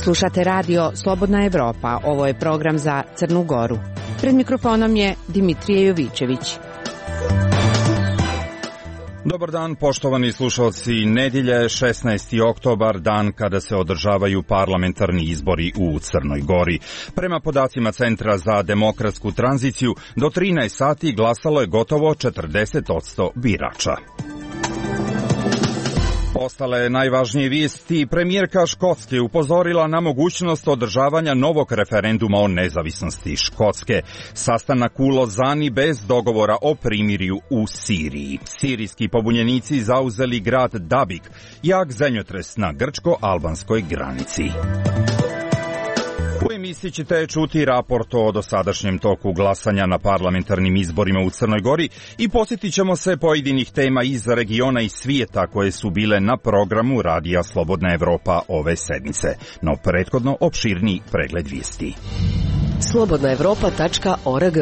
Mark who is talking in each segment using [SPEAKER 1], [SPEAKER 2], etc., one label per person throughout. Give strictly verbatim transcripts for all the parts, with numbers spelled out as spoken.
[SPEAKER 1] Slušate radio Slobodna Evropa, ovo je program za Crnu Goru. Pred mikrofonom je Dimitrije Jovićević.
[SPEAKER 2] Dobar dan, poštovani slušalci. Nedjelje šesnaesti oktobar, dan kada se održavaju parlamentarni izbori u Crnoj Gori. Prema podacima Centra za demokratsku tranziciju, do trinaest sati glasalo je gotovo četrdeset posto birača. Ostale najvažnije vijesti, premijerka Škotske upozorila na mogućnost održavanja novog referenduma o nezavisnosti Škotske. Sastanak u Lozani bez dogovora o primirju u Siriji. Sirijski pobunjenici zauzeli grad Dabik, jak zemljotres na grčko-albanskoj granici. U emisiji ćete čuti raport o dosadašnjem toku glasanja na parlamentarnim izborima u Crnoj Gori i posjetit ćemo se pojedinih tema iz regiona i svijeta koje su bile na programu Radija Slobodna Evropa ove sedmice. No prethodno opširniji pregled vijesti.
[SPEAKER 3] slobodna evropa tačka org.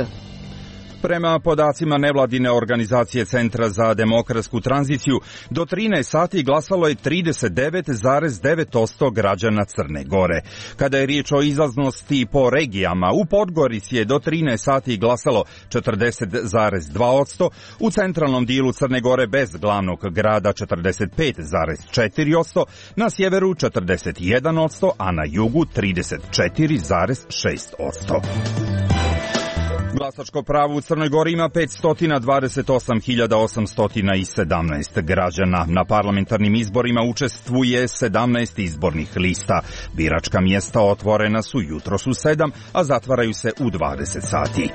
[SPEAKER 2] Prema podacima nevladine organizacije Centra za demokratsku tranziciju, do trinaest sati glasalo je trideset devet zarez devet posto građana Crne Gore. Kada je riječ o izlaznosti po regijama, u Podgorici je do trinaest sati glasalo četrdeset zarez dva posto, u centralnom dijelu Crne Gore bez glavnog grada četrdeset pet zarez četiri posto, na sjeveru četrdeset jedan posto, a na jugu trideset četiri zarez šest posto. Glasačko pravo u Crnoj Gori ima petsto dvadeset osam hiljada osamsto sedamnaest građana. Na parlamentarnim izborima učestvuje sedamnaest izbornih lista. Biračka mjesta otvorena su jutros u sedam, a zatvaraju se u dvadeset sati.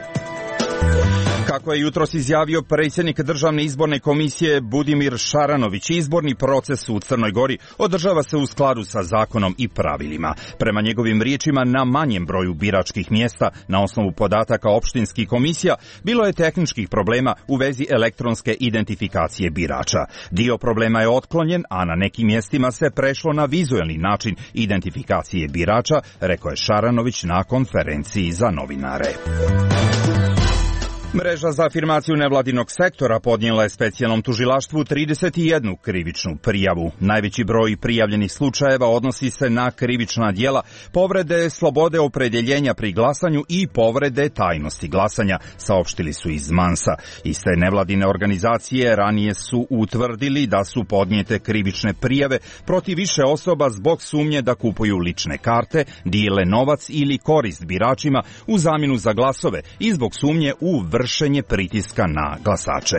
[SPEAKER 2] Kako je jutros izjavio predsjednik Državne izborne komisije Budimir Šaranović, izborni proces u Crnoj Gori održava se u skladu sa zakonom i pravilima. Prema njegovim riječima, na manjem broju biračkih mjesta, na osnovu podataka opštinskih komisija, bilo je tehničkih problema u vezi elektronske identifikacije birača. Dio problema je otklonjen, a na nekim mjestima se prešlo na vizuelni način identifikacije birača, rekao je Šaranović na konferenciji za novinare. Mreža za afirmaciju nevladinog sektora podnijela je specijalnom tužilaštvu trideset jednu krivičnu prijavu. Najveći broj prijavljenih slučajeva odnosi se na krivična djela, povrede slobode opredjeljenja pri glasanju i povrede tajnosti glasanja, saopštili su iz Mansa. Iste nevladine organizacije ranije su utvrdili da su podnijete krivične prijave protiv više osoba zbog sumnje da kupuju lične karte, dijele novac ili korist biračima u zamjenu za glasove i zbog sumnje u vršenje pritiska na glasače.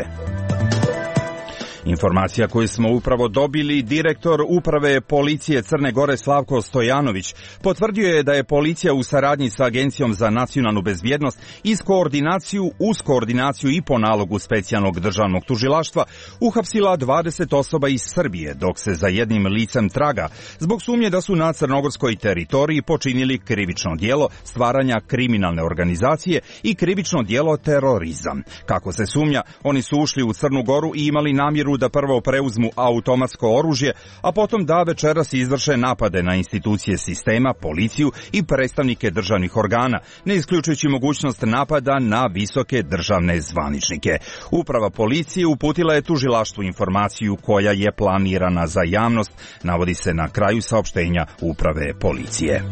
[SPEAKER 2] Informacija koju smo upravo dobili, direktor uprave policije Crne Gore Slavko Stojanović potvrdio je da je policija u saradnji sa Agencijom za nacionalnu bezbjednost iz koordinaciju, uz koordinaciju i po nalogu specijalnog državnog tužilaštva uhapsila dvadeset osoba iz Srbije, dok se za jednim licem traga zbog sumnje da su na crnogorskoj teritoriji počinili krivično djelo stvaranja kriminalne organizacije i krivično djelo terorizam. Kako se sumnja, oni su ušli u Crnu Goru i imali namjeru da prvo preuzmu automatsko oružje, a potom da večeras izvrše napade na institucije sistema, policiju i predstavnike državnih organa, ne isključujući mogućnost napada na visoke državne zvaničnike. Uprava policije uputila je tužilaštvu informaciju koja je planirana za javnost, navodi se na kraju saopštenja uprave policije.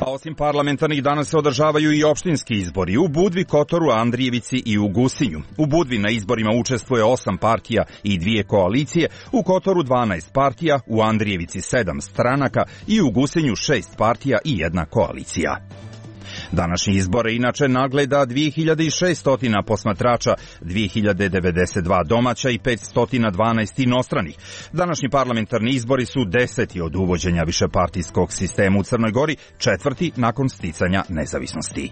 [SPEAKER 2] A osim parlamentarnih danas se održavaju i opštinski izbori u Budvi, Kotoru, Andrijevici i u Gusinju. U Budvi na izborima učestvuje osam partija i dvije koalicije, u Kotoru dvanaest partija, u Andrijevici sedam stranaka i u Gusinju šest partija i jedna koalicija. Današnji izbore inače nagleda dvije hiljade šesto posmatrača, dvije hiljade devedeset dva domaća i petsto dvanaest inostranih. Današnji parlamentarni izbori su deseti od uvođenja višepartijskog sistema u Crnoj Gori, četvrti nakon sticanja nezavisnosti.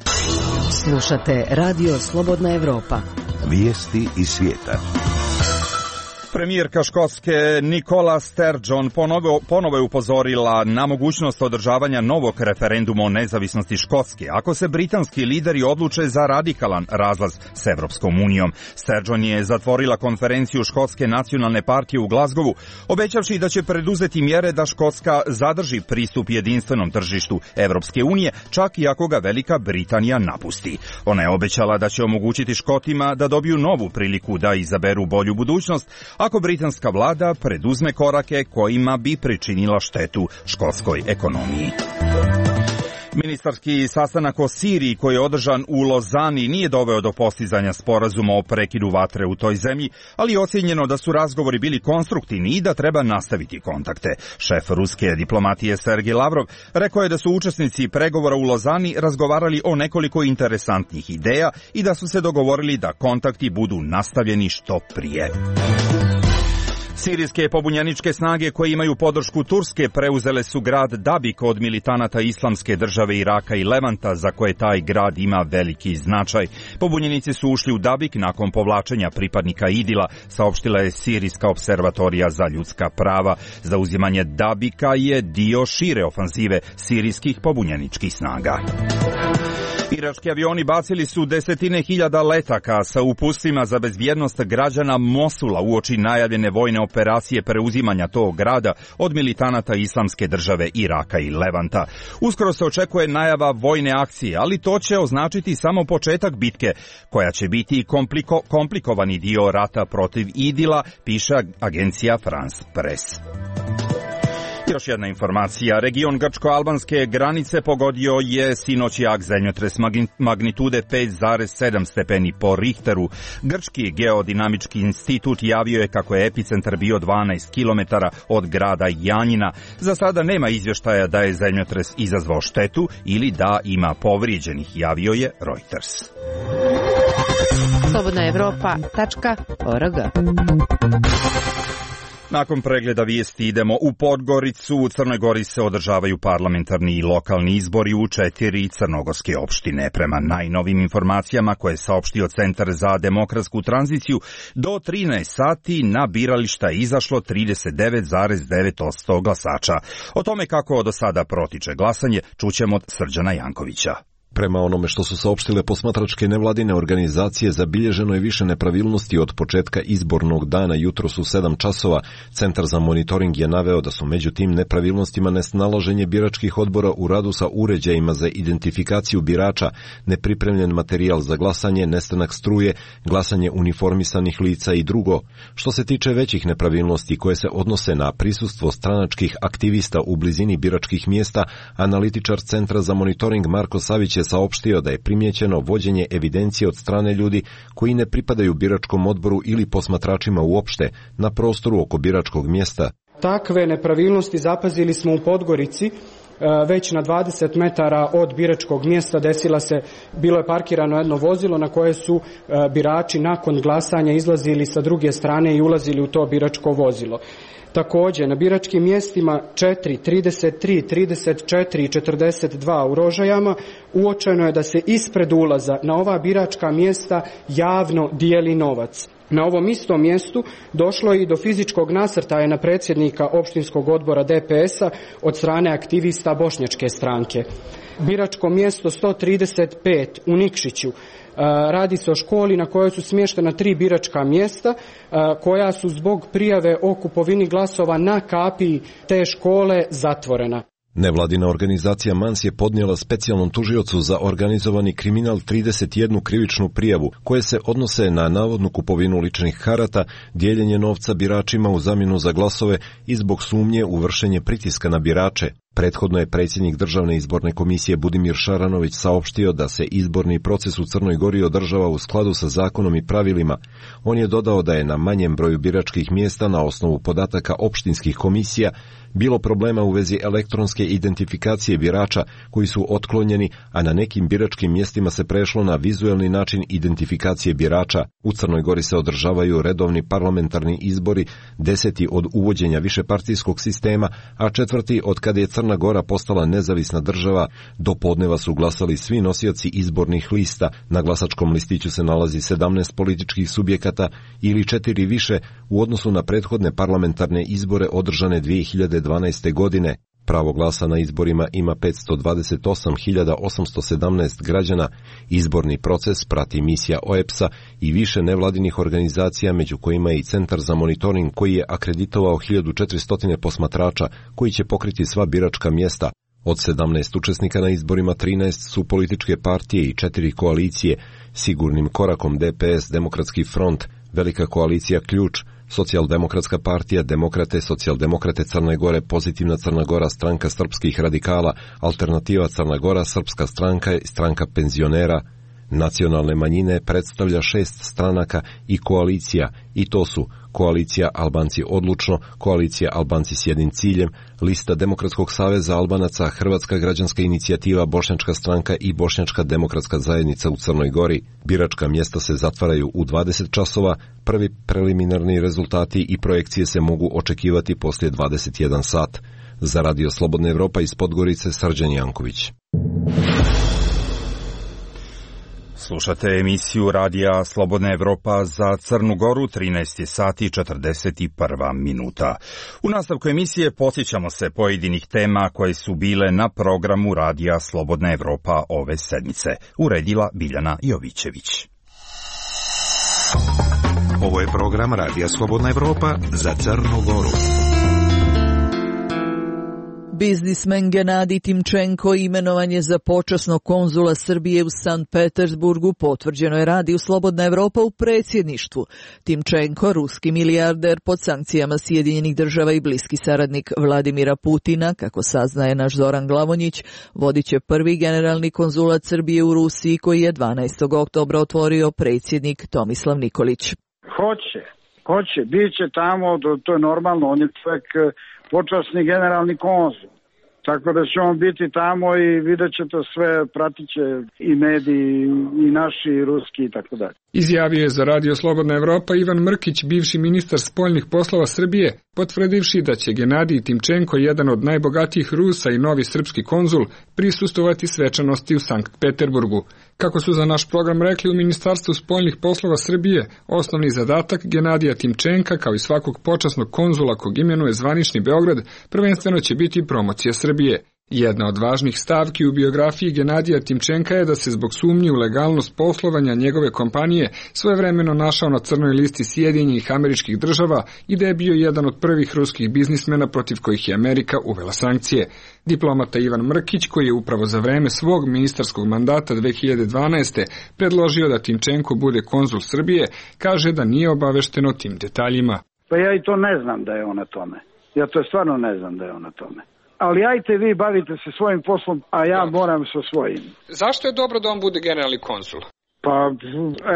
[SPEAKER 3] Slušate Radio Slobodna Evropa.
[SPEAKER 4] Vijesti iz svijeta.
[SPEAKER 2] Premijerka Škotske Nicola Sturgeon ponovo, ponovo je upozorila na mogućnost održavanja novog referenduma o nezavisnosti Škotske ako se britanski lideri odluče za radikalan razlaz s Evropskom unijom. Sturgeon je zatvorila konferenciju Škotske nacionalne partije u Glasgowu, obećavši da će preduzeti mjere da Škotska zadrži pristup jedinstvenom tržištu Evropske unije, čak i ako ga Velika Britanija napusti. Ona je obećala da će omogućiti Škotima da dobiju novu priliku da izaberu bolju budućnost, a ako britanska vlada preduzme korake kojima bi pričinila štetu škotskoj ekonomiji. Ministarski sastanak o Siriji koji je održan u Lozani nije doveo do postizanja sporazuma o prekidu vatre u toj zemlji, ali je ocijenjeno da su razgovori bili konstruktivni i da treba nastaviti kontakte. Šef ruske diplomatije Sergej Lavrov rekao je da su učesnici pregovora u Lozani razgovarali o nekoliko interesantnih ideja i da su se dogovorili da kontakti budu nastavljeni što prije. Sirijske pobunjeničke snage koje imaju podršku Turske preuzele su grad Dabik od militanata Islamske države Iraka i Levanta, za koje taj grad ima veliki značaj. Pobunjenici su ušli u Dabik nakon povlačenja pripadnika Idila, saopštila je Sirijska observatorija za ljudska prava. Zauzimanje Dabika je dio šire ofanzive sirijskih pobunjeničkih snaga. Irački avioni bacili su desetine hiljada letaka sa upustvima za bezbjednost građana Mosula uoči najavljene vojne operacije preuzimanja tog grada od militanata Islamske države Iraka i Levanta. Uskoro se očekuje najava vojne akcije, ali to će označiti samo početak bitke, koja će biti kompliko, komplikovani dio rata protiv Idila, piše agencija France Press. Još jedna informacija. Region grčko-albanske granice pogodio je sinoć jak zemljotres magnitude pet zarez sedam stepeni po Richteru. Grčki geodinamički institut javio je kako je epicentar bio dvanaest kilometara od grada Janjina. Za sada nema izvještaja da je zemljotres izazvao štetu ili da ima povrijeđenih, javio je Reuters.
[SPEAKER 1] slobodna evropa tačka org.
[SPEAKER 2] Nakon pregleda vijesti idemo u Podgoricu. U Crnoj Gori se održavaju parlamentarni i lokalni izbori u četiri crnogorske opštine. Prema najnovim informacijama koje je saopštio Centar za demokratsku tranziciju, do trinaest sati na birališta je izašlo trideset devet zarez devet posto glasača. O tome kako do sada protiče glasanje čućemo od Srđana Jankovića.
[SPEAKER 5] Prema onome što su saopštile posmatračke nevladine organizacije, zabilježeno je više nepravilnosti od početka izbornog dana jutros u sedam časova. Centar za monitoring je naveo da su među tim nepravilnostima nesnalaženje biračkih odbora u radu sa uređajima za identifikaciju birača, nepripremljen materijal za glasanje, nestanak struje, glasanje uniformisanih lica i drugo. Što se tiče većih nepravilnosti koje se odnose na prisustvo stranačkih aktivista u blizini biračkih mjesta, analitičar Centra za monitoring Marko Savić je saopštio da je primijećeno vođenje evidencije od strane ljudi koji ne pripadaju biračkom odboru ili posmatračima uopšte na prostoru oko biračkog mjesta.
[SPEAKER 6] Takve nepravilnosti zapazili smo u Podgorici. Već na dvadeset metara od biračkog mjesta desila se, bilo je parkirano jedno vozilo na koje su birači nakon glasanja izlazili sa druge strane i ulazili u to biračko vozilo. Također, na biračkim mjestima četiri, trideset tri, trideset četiri i četrdeset dva u Rožajama uočeno je da se ispred ulaza na ova biračka mjesta javno dijeli novac. Na ovom istom mjestu došlo je i do fizičkog nasrtaja na predsjednika opštinskog odbora D P S-a od strane aktivista bošnjačke stranke. Biračko mjesto sto trideset pet u Nikšiću. Radi se o školi na kojoj su smještena tri biračka mjesta koja su zbog prijave o kupovini glasova na kapiji te škole zatvorena.
[SPEAKER 5] Nevladina organizacija Mans je podnijela specijalnom tužiocu za organizovani kriminal trideset jednu krivičnu prijavu koje se odnose na navodnu kupovinu ličnih karata, dijeljenje novca biračima u zamjenu za glasove i zbog sumnje u vršenje pritiska na birače. Prethodno je predsjednik Državne izborne komisije Budimir Šaranović saopštio da se izborni proces u Crnoj Gori održava u skladu sa zakonom i pravilima. On je dodao da je na manjem broju biračkih mjesta na osnovu podataka opštinskih komisija bilo problema u vezi elektronske identifikacije birača koji su otklonjeni, a na nekim biračkim mjestima se prešlo na vizuelni način identifikacije birača. U Crnoj Gori se održavaju redovni parlamentarni izbori, deseti od uvođenja višepartijskog sistema, a četvrti od kada je Crna Gora postala nezavisna država. Do podneva su glasali svi nosioci izbornih lista. Na glasačkom listiću se nalazi sedamnaest političkih subjekata ili četiri više u odnosu na prethodne parlamentarne izbore održane dvije hiljade dvanaeste. godine. Pravo glasa na izborima ima petsto dvadeset osam hiljada osamsto sedamnaest građana. Izborni proces prati misija O E P S-a i više nevladinih organizacija, među kojima je i Centar za monitoring koji je akreditovao hiljadu četiristo posmatrača koji će pokriti sva biračka mjesta. Od sedamnaest učesnika na izborima trinaest su političke partije i četiri koalicije. Sigurnim korakom D P S, Demokratski front, Velika koalicija Ključ, Socijaldemokratska partija, Demokrate, Socijaldemokrate Crne Gore, Pozitivna Crna Gora, Stranka srpskih radikala, Alternativa Crna Gora, Srpska stranka i Stranka penzionera. Nacionalne manjine predstavlja šest stranaka i koalicija, i to su Koalicija Albanci odlučno, Koalicija Albanci s jednim ciljem, Lista Demokratskog saveza Albanaca, Hrvatska građanska inicijativa, Bošnjačka stranka i Bošnjačka demokratska zajednica u Crnoj Gori. Biračka mjesta se zatvaraju u dvadeset časova, prvi preliminarni rezultati i projekcije se mogu očekivati poslije dvadeset jedan sat. Za Radio Slobodna Evropa iz Podgorice, Srđan Janković.
[SPEAKER 2] Slušate emisiju Radija Slobodna Evropa za Crnu Goru, trinaest sati i četrdeset jedna minuta. U nastavku emisije posjećamo se pojedinih tema koje su bile na programu Radija Slobodna Evropa ove sedmice. Uredila Biljana Jovićević.
[SPEAKER 4] Ovo je program Radija Slobodna Evropa za Crnu Goru.
[SPEAKER 7] Biznismen Genadij Timčenko imenovan je za počasnog konzula Srbije u Sankt Petersburgu, potvrđeno je Radiju Slobodna Evropa u predsjedništvu. Timčenko, ruski milijarder pod sankcijama Sjedinjenih država i bliski saradnik Vladimira Putina, kako saznaje naš Zoran Glavonjić, vodit će prvi generalni konzulat Srbije u Rusiji koji je dvanaestog oktobra otvorio predsjednik Tomislav Nikolić.
[SPEAKER 8] Hoće, hoće, bit će tamo, to je normalno, on je čovjek počasni generalni konzul. Tako da će on biti tamo i vidjet će to sve, pratit će i mediji, i naši, i ruski i tako dalje.
[SPEAKER 9] Izjavio je za Radio Slobodna Evropa Ivan Mrkić, bivši ministar spoljnih poslova Srbije, potvrdivši da će Genadij Timčenko, jedan od najbogatijih Rusa i novi srpski konzul, prisustovati svečanosti u Sankt Peterburgu. Kako su za naš program rekli u Ministarstvu spoljnih poslova Srbije, osnovni zadatak Genadija Timčenka, kao i svakog počasnog konzula kog imenuje zvanični Beograd, prvenstveno će biti promocija Srbije. Jedna od važnih stavki u biografiji Genadija Timčenka je da se zbog sumnji u legalnost poslovanja njegove kompanije svojevremeno našao na crnoj listi Sjedinjenih Američkih Država i da je bio jedan od prvih ruskih biznismena protiv kojih je Amerika uvela sankcije. Diplomata Ivan Mrkić, koji je upravo za vreme svog ministarskog mandata dve hiljade dvanaeste. predložio da Timčenko bude konzul Srbije, kaže da nije obavešten o tim detaljima.
[SPEAKER 8] Pa ja i to ne znam da je on na tome. Ja to stvarno ne znam da je on na tome. Ali ajte vi bavite se svojim poslom, a ja da. moram sa svojim.
[SPEAKER 9] Zašto je dobro da on bude generalni konzul?
[SPEAKER 8] Pa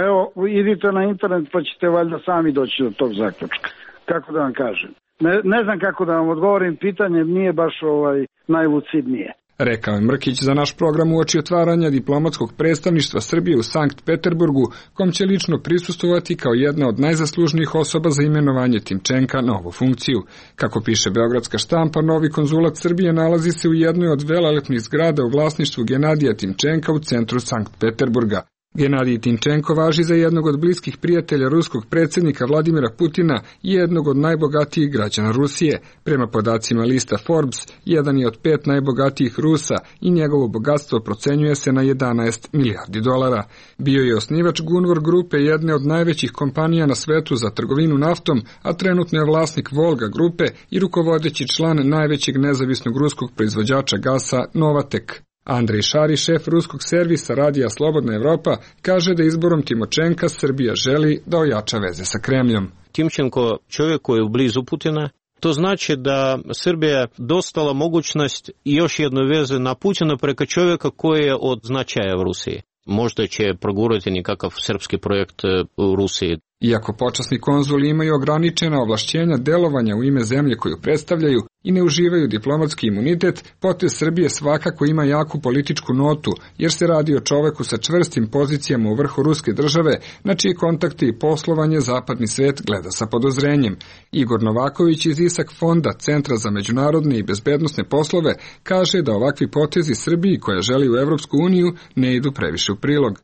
[SPEAKER 8] evo, idite na internet pa ćete valjda sami doći do tog zaključka. Kako da vam kažem? Ne, ne znam kako da vam odgovorim, pitanje nije baš ovaj najlucidnije.
[SPEAKER 9] Rekao je Mrkić za naš program uoči otvaranja diplomatskog predstavništva Srbije u Sankt Peterburgu, kom će lično prisustovati kao jedna od najzaslužnijih osoba za imenovanje Timčenka na ovu funkciju. Kako piše beogradska štampa, novi konzulat Srbije nalazi se u jednoj od velelepnih zgrada u vlasništvu Genadija Timčenka u centru Sankt Peterburga. Genadij Timčenko važi za jednog od bliskih prijatelja ruskog predsjednika Vladimira Putina i jednog od najbogatijih građana Rusije. Prema podacima lista Forbes, jedan je od pet najbogatijih Rusa i njegovo bogatstvo procenjuje se na jedanaest milijardi dolara. Bio je osnivač Gunvor grupe, jedne od najvećih kompanija na svetu za trgovinu naftom, a trenutno je vlasnik Volga grupe i rukovodeći član najvećeg nezavisnog ruskog proizvođača gasa Novatek. Andrej Šari, šef ruskog servisa Radija Slobodna Evropa, kaže da izborom Timočenka Srbija želi da ojača veze sa Kremljom.
[SPEAKER 10] Timčenko čovjek koji je blizu Putina, to znači da Srbija dostala mogućnost još jednu vezu na Putina preko čovjeka koji je od značaja u Rusiji. Možda će progurati nekakav srpski projekt u Rusiji.
[SPEAKER 9] Iako počasni konzuli imaju ograničena ovlašćenja delovanja u ime zemlje koju predstavljaju i ne uživaju diplomatski imunitet, potez Srbije svakako ima jaku političku notu, jer se radi o čoveku sa čvrstim pozicijama u vrhu ruske države, na čije kontakte i poslovanje zapadni svet gleda sa podozrenjem. Igor Novaković iz Isak fonda, Centra za međunarodne i bezbednosne poslove, kaže da ovakvi potezi Srbiji, koja želi u Evropsku uniju, ne idu previše u prilog.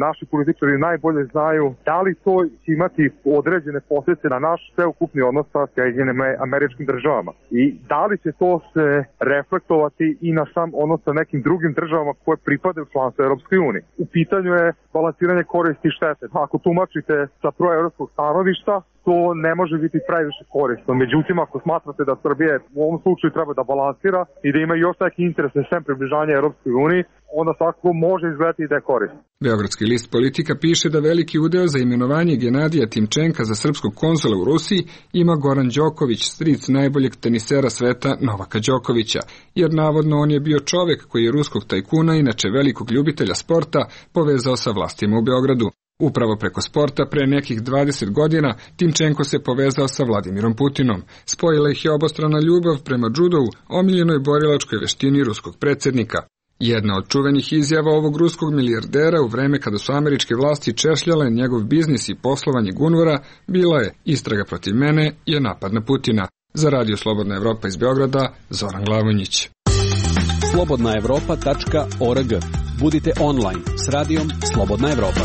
[SPEAKER 11] Naši političari najbolje znaju da li to će imati određene posljedice na naš sveukupni odnos sa Sjedinjenim Američkim Državama i da li će to se reflektovati i na sam odnos sa nekim drugim državama koje pripadaju članstvu Europskoj uniji. U pitanju je balansiranje koristi i štete. Ako tumačite sa proevropskog stanovišta, to ne može biti previše korisno. Međutim, ako smatrate da Srbije u ovom slučaju treba da balansira i da ima još neki interese sem približanja Europskoj uniji, onda svakako može izgledati da je korisno.
[SPEAKER 9] Beogradski list Politika piše da veliki udeo za imenovanje Genadija Timčenka za srpskog konzula u Rusiji ima Goran Đoković, stric najboljeg tenisera sveta Novaka Đokovića, jer navodno on je bio čovek koji je ruskog tajkuna, inače velikog ljubitelja sporta, povezao sa vlastima u Beogradu. Upravo preko sporta pre nekih dvadeset godina Timčenko se povezao sa Vladimirom Putinom. Spojila ih je obostrana ljubav prema džudovu, omiljenoj borilačkoj veštini ruskog predsjednika. Jedna od čuvenih izjava ovog ruskog milijardera u vreme kada su američke vlasti češljale njegov biznis i poslovanje Gunvora bila je: istraga protiv mene je napad na Putina. Za Radio Slobodna Evropa iz Beograda, Zoran Glavonjić.
[SPEAKER 12] slobodna evropa tačka org. Budite online s radijom Slobodna Evropa.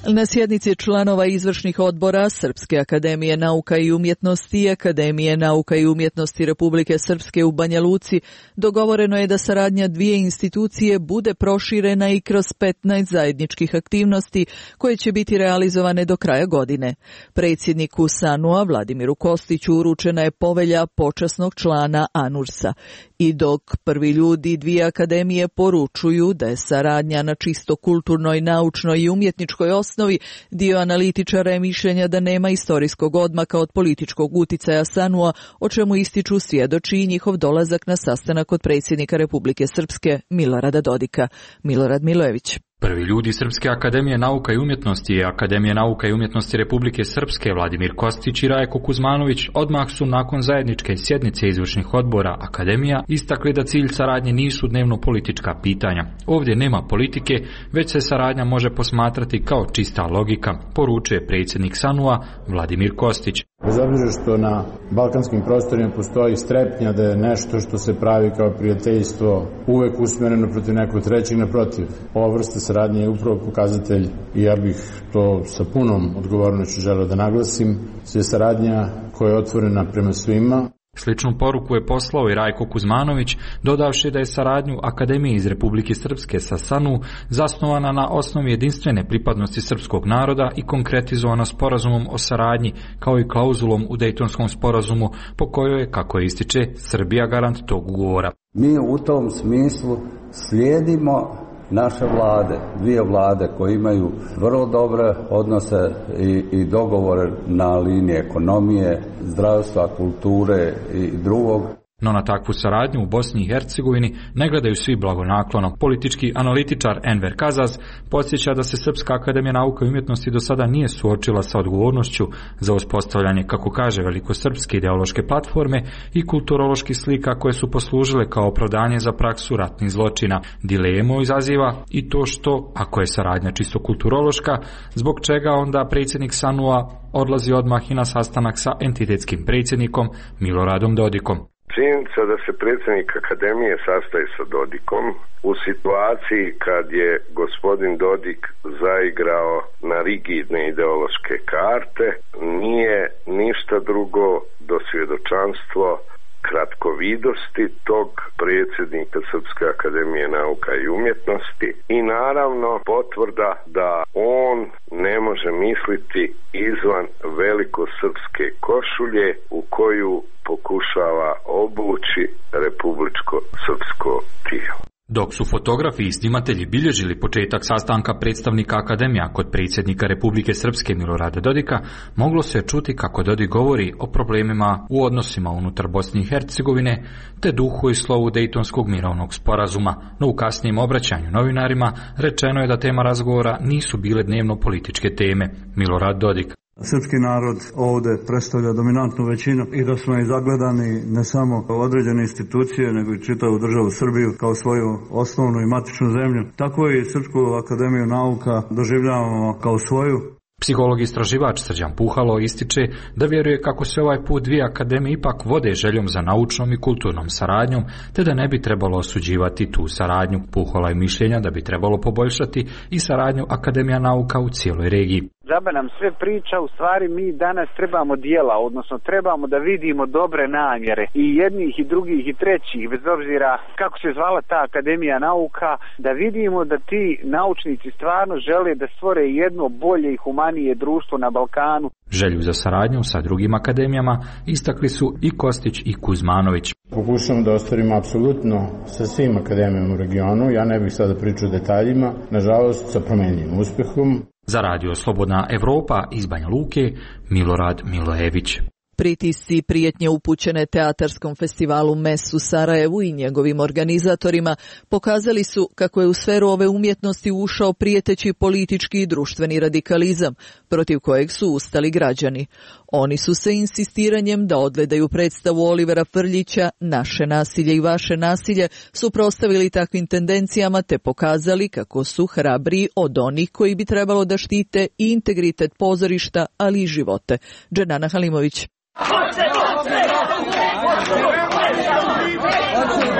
[SPEAKER 7] Na sjednici članova izvršnih odbora Srpske akademije nauka i umjetnosti i Akademije nauka i umjetnosti Republike Srpske u Banja Luci dogovoreno je da saradnja dvije institucije bude proširena i kroz petnaest zajedničkih aktivnosti koje će biti realizovane do kraja godine. Predsjedniku SANU-a Vladimiru Kostiću uručena je povelja počasnog člana ANURS-a. I dok prvi ljudi dvije akademije poručuju da je saradnja na čisto kulturnoj, naučnoj i umjetničkoj osnovi, dio analitičara je mišljenja da nema istorijskog odmaka od političkog uticaja SANU-a, o čemu ističu svjedoči i njihov dolazak na sastanak kod predsjednika Republike Srpske Milorada Dodika. Milorad Milojević.
[SPEAKER 13] Prvi ljudi Srpske akademije nauka i umjetnosti i Akademije nauka i umjetnosti Republike Srpske Vladimir Kostić i Rajko Kuzmanović odmah su nakon zajedničke sjednice izvršnih odbora akademija istakli da cilj saradnje nisu dnevno politička pitanja. Ovdje nema politike, već se saradnja može posmatrati kao čista logika, poručuje predsjednik SANU-a Vladimir Kostić.
[SPEAKER 14] Bez obzira što na balkanskim prostorima postoji strepnja da je nešto što se pravi kao prijateljstvo uvek usmjereno protiv nekog trećeg, naprotiv. Ova vrsta saradnje je upravo pokazatelj, i ja bih to sa punom odgovornošću želeo da naglasim, je saradnja koja je otvorena prema svima.
[SPEAKER 13] Sličnu poruku je poslao i Rajko Kuzmanović, dodavši da je saradnju Akademije iz Republike Srpske sa SANU zasnovana na osnovi jedinstvene pripadnosti srpskog naroda i konkretizovana sporazumom o saradnji, kao i klauzulom u Dejtonskom sporazumu, po kojoj je, kako je ističe, Srbija garant tog ugovora.
[SPEAKER 15] Mi u tom smislu slijedimo naše vlade, dvije vlade koje imaju vrlo dobre odnose i, i dogovore na liniji ekonomije, zdravstva, kulture i drugog.
[SPEAKER 13] No na takvu saradnju u Bosni i Hercegovini ne gledaju svi blagonaklono. Politički analitičar Enver Kazaz podsjeća da se Srpska akademija nauka i umjetnosti do sada nije suočila sa odgovornošću za uspostavljanje, kako kaže, velikosrpske ideološke platforme i kulturoloških slika koje su poslužile kao opravdanje za praksu ratnih zločina. Dilemu izaziva i to što, ako je saradnja čisto kulturološka, zbog čega onda predsjednik SANU-a odlazi odmah i na sastanak sa entitetskim predsjednikom Miloradom Dodikom.
[SPEAKER 16] Činjenica da se predsjednik akademije sastaje sa Dodikom u situaciji kad je gospodin Dodik zaigrao na rigidne ideološke karte nije ništa drugo do svjedočanstvo kratkovidosti tog predsjednika Srpske akademije nauka i umjetnosti i naravno potvrda da on ne može misliti izvan velikosrpske košulje u koju pokušava obući republičko srpsko tijelo.
[SPEAKER 13] Dok su fotografi i snimatelji bilježili početak sastanka predstavnika akademija kod predsjednika Republike Srpske Milorada Dodika, moglo se čuti kako Dodik govori o problemima u odnosima unutar Bosne i Hercegovine, te duhu i slovu Dejtonskog mirovnog sporazuma, no u kasnijem obraćanju novinarima rečeno je da tema razgovora nisu bile dnevno političke teme. Milorad Dodik.
[SPEAKER 17] Srpski narod ovdje predstavlja dominantnu većinu i da smo i zagledani ne samo kao određene institucije, nego i čitavu državu Srbiju kao svoju osnovnu i matičnu zemlju. Tako i Srpsku akademiju nauka doživljavamo kao svoju.
[SPEAKER 13] Psiholog i istraživač Srđan Puhalo ističe da vjeruje kako se ovaj put dvije akademije ipak vode željom za naučnom i kulturnom saradnjom, te da ne bi trebalo osuđivati tu saradnju. Puhalo je mišljenja da bi trebalo poboljšati i saradnju Akademija nauka u cijeloj regiji.
[SPEAKER 18] džabe nam sve priča, u stvari mi danas trebamo dijela, odnosno trebamo da vidimo dobre namjere i jednih i drugih i trećih, bez obzira kako se zvala ta Akademija nauka, da vidimo da ti naučnici stvarno žele da stvore jedno bolje i humanije društvo na Balkanu.
[SPEAKER 13] Želju za saradnju sa drugim akademijama istakli su i Kostić i Kuzmanović.
[SPEAKER 14] Pokušamo da ostvarimo apsolutno sa svim akademijama u regionu, ja ne bih sada pričao o detaljima, nažalost sa promenljivim uspehom.
[SPEAKER 13] Za Radio Slobodna Evropa iz Banja Luke, Milorad Milojević.
[SPEAKER 7] Pritisci i prijetnje upućene Teatarskom festivalu M E S u Sarajevu i njegovim organizatorima pokazali su kako je u sferu ove umjetnosti ušao prijeteći politički i društveni radikalizam, protiv kojeg su ustali građani. Oni su se insistiranjem da odgledaju predstavu Olivera Frljića Naše nasilje i vaše nasilje suprotstavili takvim tendencijama te pokazali kako su hrabriji od onih koji bi trebalo da štite i integritet pozorišta, ali i živote. Dženana Halimović.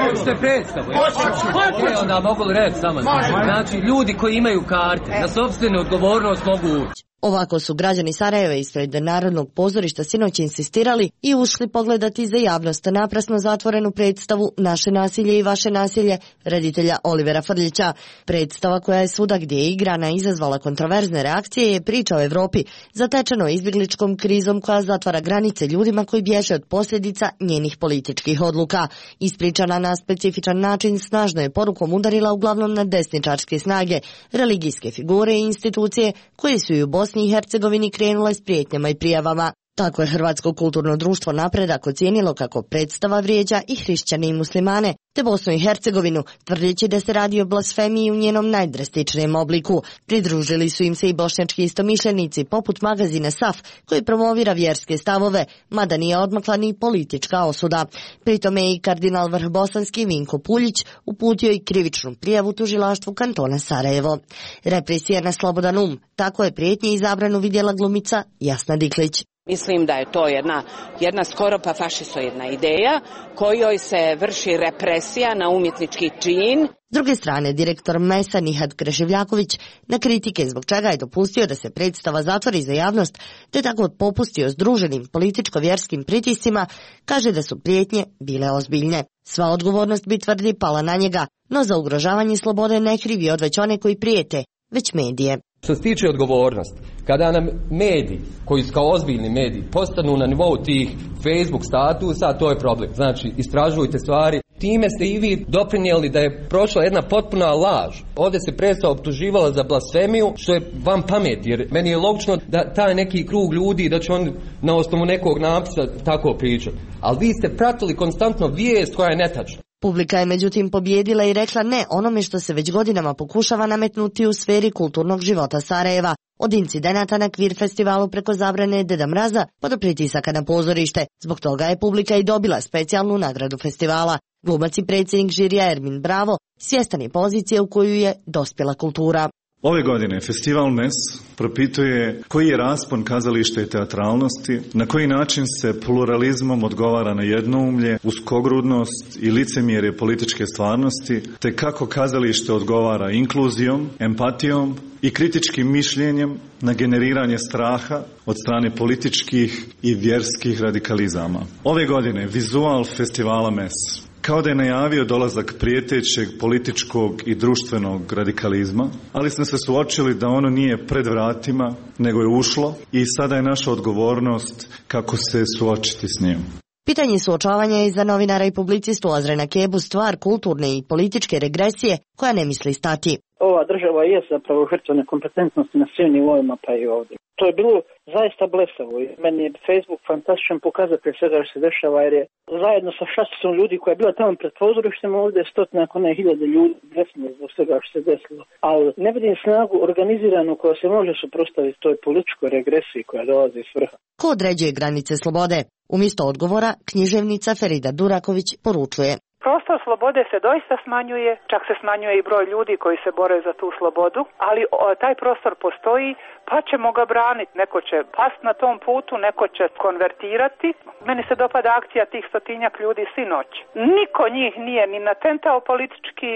[SPEAKER 19] Hoćete predstavu? Hoćete. Onda mogu li reći samo? Znači, ljudi koji imaju karte, na sopstvenu odgovornost mogu ući.
[SPEAKER 20] Ovako su građani Sarajeva ispred Narodnog pozorišta sinoć insistirali i ušli pogledati za javnost naprasno zatvorenu predstavu Naše nasilje i vaše nasilje reditelja Olivera Frljića. Predstava koja je svuda gdje je igrana izazvala kontroverzne reakcije je priča o Evropi, zatečeno izbjegličkom krizom koja zatvara granice ljudima koji bježe od posljedica njenih političkih odluka. Ispričana na specifičan način snažno je porukom udarila uglavnom na desničarske snage, religijske figure i institucije koje su i u Bosni i Hercegovini krenule s prijetnjama i prijavama. Tako je Hrvatsko kulturno društvo Napredak ocijenilo kako predstava vrijeđa i hrišćane i muslimane, te Bosnu i Hercegovinu, tvrdeći da se radi o blasfemiji u njenom najdrastičnijem obliku. Pridružili su im se i bošnjački istomišljenici poput magazina S A F, koji promovira vjerske stavove, mada nije odmakla ni politička osuda. Pritome je i kardinal vrhbosanski Vinko Puljić uputio i krivičnu prijavu tužilaštvu kantona Sarajevo. Represija na slobodan um, tako je prijetnje i zabranu vidjela glumica Jasna Diklić.
[SPEAKER 21] Mislim da je to jedna, jedna skoro pa fašisoidna ideja kojoj se vrši represija na umjetnički čin.
[SPEAKER 20] S druge strane, direktor M E S-a Nihad Kreševljaković na kritike zbog čega je dopustio da se predstava zatvori za javnost, te tako popustio združenim političko-vjerskim pritiscima, kaže da su prijetnje bile ozbiljne. Sva odgovornost bi tvrdi pala na njega, no za ugrožavanje slobode ne krivi odveć one koji prijete, već medije.
[SPEAKER 19] Što se tiče odgovornosti, kada nam mediji, koji su kao ozbiljni mediji, postanu na nivou tih Facebook statusa, to je problem. Znači, istražujte stvari. Time ste i vi doprinijeli da je prošla jedna potpuna laž. Ovdje se predstava optuživala za blasfemiju, što je vam pamet, jer meni je logično da taj neki krug ljudi, da će on na osnovu nekog napisa tako pričati. Ali vi ste pratili konstantno vijest koja je netačna.
[SPEAKER 20] Publika je međutim pobjedila i rekla ne onome što se već godinama pokušava nametnuti u sferi kulturnog života Sarajeva. Od incidenata na Kvir festivalu preko zabrane Deda Mraza pa do pritisaka na pozorište. Zbog toga je publika i dobila specijalnu nagradu festivala. Glumac i predsjednik žirija Ermin Bravo svjestan je pozicije u koju je dospjela kultura.
[SPEAKER 22] Ove godine Festival M E S propituje koji je raspon kazališta i teatralnosti, na koji način se pluralizmom odgovara na jednoumlje, uskogrudnost i licemjerje političke stvarnosti, te kako kazalište odgovara inkluzijom, empatijom i kritičkim mišljenjem na generiranje straha od strane političkih i vjerskih radikalizama. Ove godine vizual Festivala M E S kao da je najavio dolazak prijetećeg političkog i društvenog radikalizma, ali smo se suočili da ono nije pred vratima, nego je ušlo i sada je naša odgovornost kako se suočiti s njim.
[SPEAKER 20] Pitanje suočavanja je za novinara i publicistu Azrena Kebu stvar kulturne i političke regresije koja ne misli stati.
[SPEAKER 23] Ova država je zapravo žrtva nekompetentnosti na svim nivoima, pa i ovdje. To je bilo zaista blesavo. Meni je Facebook fantastičan pokazatelj svega što se dešava, jer je zajedno sa šasticom ljudi koja je bila tamo pred pozorištem ovdje stotina, ako ne hiljade ljudi desno zbog svega što se desilo. Ali ne vidim snagu organiziranu koja se može suprotstaviti toj političkoj regresiji koja dolazi iz vrha.
[SPEAKER 20] Ko određuje granice slobode? Umjesto odgovora, književnica Ferida Duraković poručuje.
[SPEAKER 1] Prostor slobode se doista smanjuje, čak se smanjuje i broj ljudi koji se bore za tu slobodu, ali o, taj prostor postoji, pa ćemo ga braniti. Neko će past na tom putu, neko će konvertirati. Meni se dopada akcija tih stotinjak ljudi sinoć. Niko njih nije ni natentao politički,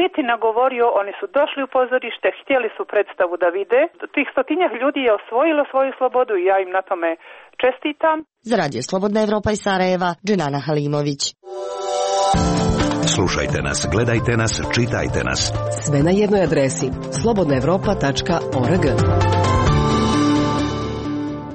[SPEAKER 1] niti nagovorio, oni su došli u pozorište, htjeli su predstavu da vide. Tih stotinjak ljudi je osvojilo svoju slobodu i ja im na tome čestitam.
[SPEAKER 20] Za Radio Slobodna Evropa iz Sarajeva, Dženana Halimović.
[SPEAKER 4] Slušajte nas, gledajte nas, čitajte nas.
[SPEAKER 3] Sve na jednoj adresi slobodna evropa tačka org.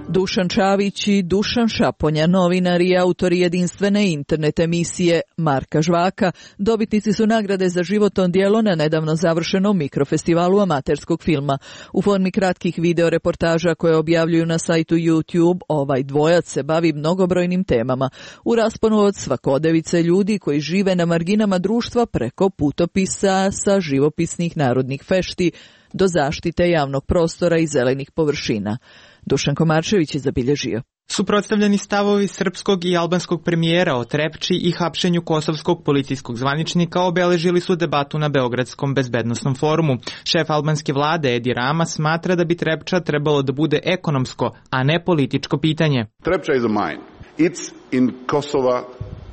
[SPEAKER 7] Dušan Čavić i Dušan Šaponja, novinari i autori jedinstvene internet emisije Marka Žvaka, dobitnici su nagrade za životno djelo na nedavno završenom mikrofestivalu amaterskog filma. U formi kratkih video reportaža koje objavljuju na sajtu YouTube, ovaj dvojac se bavi mnogobrojnim temama. U rasponu od svakodevice ljudi koji žive na marginama društva preko putopisa sa živopisnih narodnih fešti do zaštite javnog prostora i zelenih površina. Dušan Komarčević je zabilježio.
[SPEAKER 6] Suprotstavljeni stavovi srpskog i albanskog premijera o Trepči i hapšenju kosovskog policijskog zvaničnika obeležili su debatu na Beogradskom bezbednosnom forumu. Šef albanske vlade Edi Rama smatra da bi Trepča trebalo da bude ekonomsko, a ne političko pitanje.
[SPEAKER 24] Trepča is a mine. It's in Kosova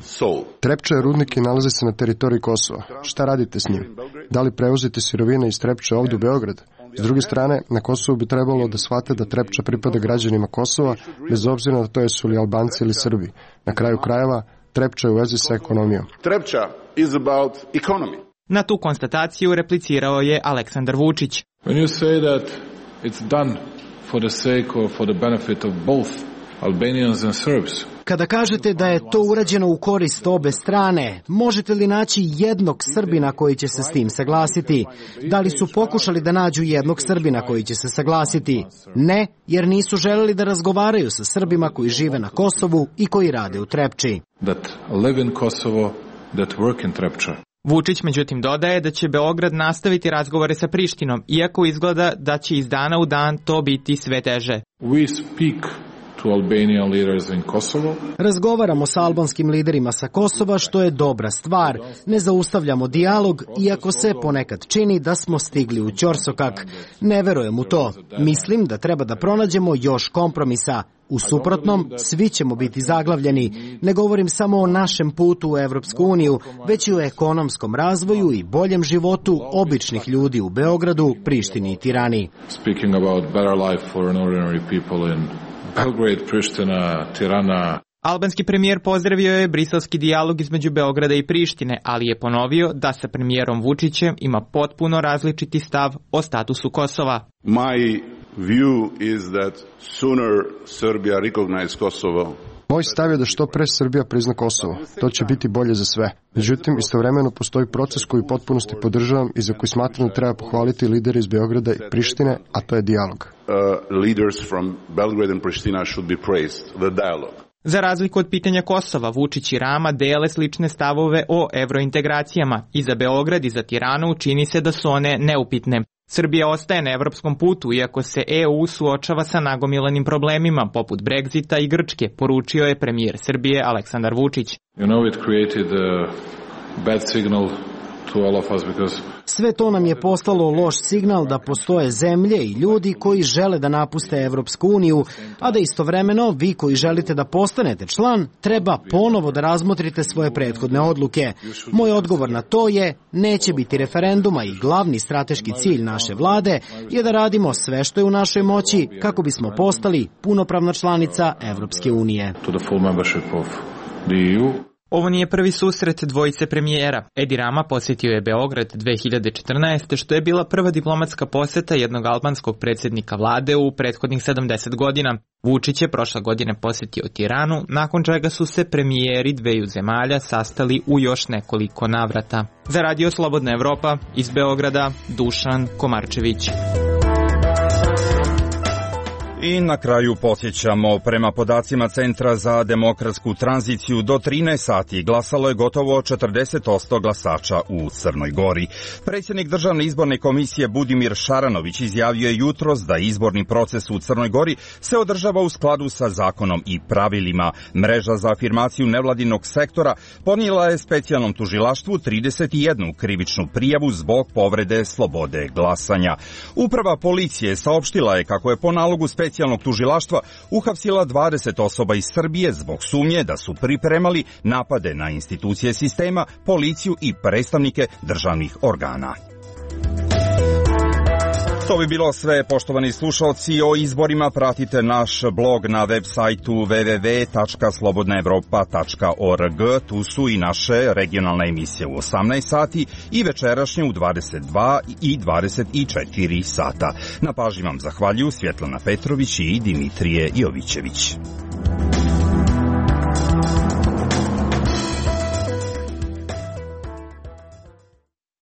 [SPEAKER 24] soul.
[SPEAKER 25] Trepča je rudnik i nalazi se na teritoriji Kosova. Šta radite s njim? Da li prevozite sirovine iz Trepče ovdje u Beograd? S druge strane, na Kosovu bi trebalo da shvate da Trepča pripada građanima Kosova, bez obzira na to jesu li Albanci ili Srbi. Na kraju krajeva, Trepča je u vezi sa ekonomijom.
[SPEAKER 24] Trepča is about economy.
[SPEAKER 6] Na tu konstataciju replicirao je Aleksandar Vučić.
[SPEAKER 26] When you say that it's done for the sake or for the benefit of both Albanians and Serbs.
[SPEAKER 27] Kada kažete da je to urađeno u korist obe strane, možete li naći jednog Srbina koji će se s tim saglasiti? Da li su pokušali da nađu jednog Srbina koji će se saglasiti? Ne, jer nisu želeli da razgovaraju sa Srbima koji žive na Kosovu i koji rade u Trepči.
[SPEAKER 26] That live in Kosovo, that work in Trepča.
[SPEAKER 6] Vučić međutim dodaje da će Beograd nastaviti razgovore sa Prištinom, iako izgleda da će iz dana u dan to biti sve teže.
[SPEAKER 26] We speak to Albanian leaders in Kosovo.
[SPEAKER 27] Razgovaramo sa albanskim liderima sa Kosova, što je dobra stvar. Ne zaustavljamo dijalog, iako se ponekad čini da smo stigli u ćorsokak. Ne verujem u to. Mislim da treba da pronađemo još kompromisa. U suprotnom, svi ćemo biti zaglavljeni. Ne govorim samo o našem putu u Evropsku uniju, već i o ekonomskom razvoju i boljem životu običnih ljudi u Beogradu, Prištini i Tirani.
[SPEAKER 26] Speaking about better life for ordinary people in Belgrade, Priština, Tirana.
[SPEAKER 6] Albanski premijer pozdravio je briselski dijalog između Beograda i Prištine, ali je ponovio da sa premijerom Vučićem ima potpuno različiti stav o statusu Kosova.
[SPEAKER 24] My view is that sooner Serbia recognize Kosovo.
[SPEAKER 25] Moj stav je da što pre Srbija prizna Kosovo. To će biti bolje za sve. Međutim, istovremeno postoji proces koji u potpunosti podržavam i za koji smatram da treba pohvaliti lidere iz Beograda i Prištine, a to je dijalog.
[SPEAKER 24] Uh, leaders from Belgrade and Pristina should be praised, the dialogue.
[SPEAKER 6] Za razliku od pitanja Kosova, Vučić i Rama dele slične stavove o evrointegracijama. I za Beograd i za Tiranu čini se da su one neupitne. Srbija ostaje na evropskom putu, iako se E U suočava sa nagomilanim problemima, poput Brexita i Grčke, poručio je premijer Srbije Aleksandar Vučić.
[SPEAKER 26] You know, it created a bad signal to all of us because
[SPEAKER 27] sve to nam je poslalo loš signal da postoje zemlje i ljudi koji žele da napuste Evropsku uniju, a da istovremeno vi koji želite da postanete član treba ponovo da razmotrite svoje prethodne odluke. Moj odgovor na to je neće biti referenduma i glavni strateški cilj naše vlade je da radimo sve što je u našoj moći kako bismo postali punopravna članica Evropske unije.
[SPEAKER 26] To the full membership of the E U.
[SPEAKER 6] Ovo nije prvi susret dvojice premijera. Edi Rama posjetio je Beograd dve hiljade četrnaeste. što je bila prva diplomatska posjeta jednog albanskog predsjednika vlade u prethodnih sedamdeset godina. Vučić je prošle godine posjetio Tiranu, nakon čega su se premijeri dveju zemalja sastali u još nekoliko navrata. Za Radio Slobodna Evropa iz Beograda, Dušan Komarčević.
[SPEAKER 2] I na kraju podsjećamo, prema podacima Centra za demokratsku tranziciju, do trinaest sati glasalo je gotovo četrdeset posto glasača u Crnoj Gori. Predsjednik Državne izborne komisije Budimir Šaranović izjavio je jutros da izborni proces u Crnoj Gori se održava u skladu sa zakonom i pravilima. Mreža za afirmaciju nevladinog sektora podnijela je specijalnom tužilaštvu trideset jednu krivičnu prijavu zbog povrede slobode glasanja. Uprava policije saopštila je kako je po nalogu specijalnog specijalnog tužilaštva uhapsila dvadeset osoba iz Srbije zbog sumnje da su pripremali napade na institucije sistema, policiju i predstavnike državnih organa. To bi bilo sve, poštovani slušalci. O izborima pratite naš blog na web sajtu w w w tačka slobodna evropa tačka org. Tu su i naše regionalne emisije u osamnaest sati i večerašnje u dvadeset dva i dvadeset četiri sata. Na pažnji vam zahvaljuju Svjetlana Petrović i Dimitrije Jovićević.